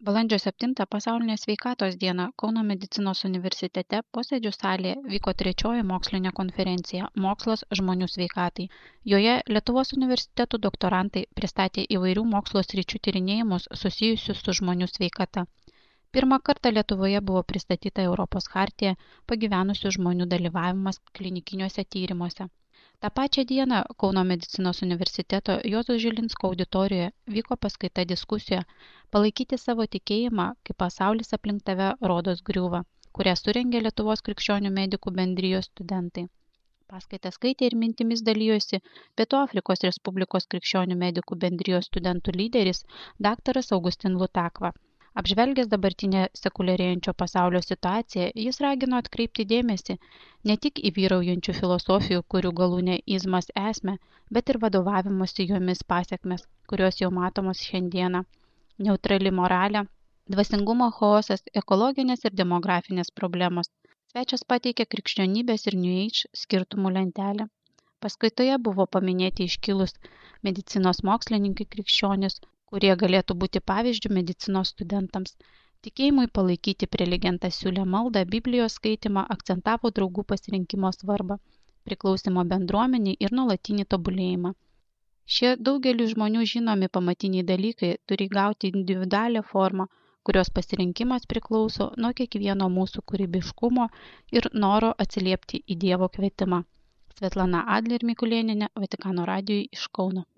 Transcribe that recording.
Balandžio 7 pasaulinė sveikatos diena Kauno medicinos universitete posėdžių salėje vyko 3 mokslinė konferencija Mokslas žmonių sveikatai. Joje Lietuvos universitetų doktorantai pristatė įvairių mokslo sričių tyrinėjimus susijusius su žmonių sveikata. Pirmą kartą Lietuvoje buvo pristatyta Europos chartija pagyvenusių žmonių dalyvavimas klinikiniuose tyrimuose. Ta pačią dieną Kauno medicinos universiteto Juozo Žilinsko auditorijoje vyko paskaita diskusija Palaikyti savo tikėjimą, kai pasaulis aplink tave rodos griūva, kurią surengė Lietuvos krikščionių medikų bendrijos studentai. Paskaitą skaitė ir mintimis dalyjosi Pietų Afrikos Respublikos krikščionių medikų bendrijos studentų lyderis dr. Augustin Lutakva. Apžvelgęs dabartinę sekuliarėjančio pasaulio situaciją, jis ragino atkreipti dėmesį ne tik į vyraujančių filosofijų, kurių galūnė izmas esmę, bet ir vadovavimosi jomis pasiekmes, kurios jau matomos šiandieną. Neutrali moralė, dvasingumo chaosas, ekologinės ir demografinės problemos. Svečias pateikė krikščionybės ir New Age skirtumų lentelę. Paskaitoje buvo paminėti iškilus medicinos mokslininkai krikščionis, kurie galėtų būti pavyzdžių medicinos studentams. Tikėjimui palaikyti prelegentas siūlė maldą, Biblijos skaitimą, akcentavo draugų pasirinkimo svarbą, priklausimo bendruomeniai ir nuolatinį tobulėjimą. Šie daugeliu žmonių žinomi pamatiniai dalykai turi gauti individualią formą, kurios pasirinkimas priklauso nuo kiekvieno mūsų kūrybiškumo ir noro atsiliepti į Dievo kvietimą. Svetlana Adler Mikulėnienė, Vatikano radijui iš Kauno.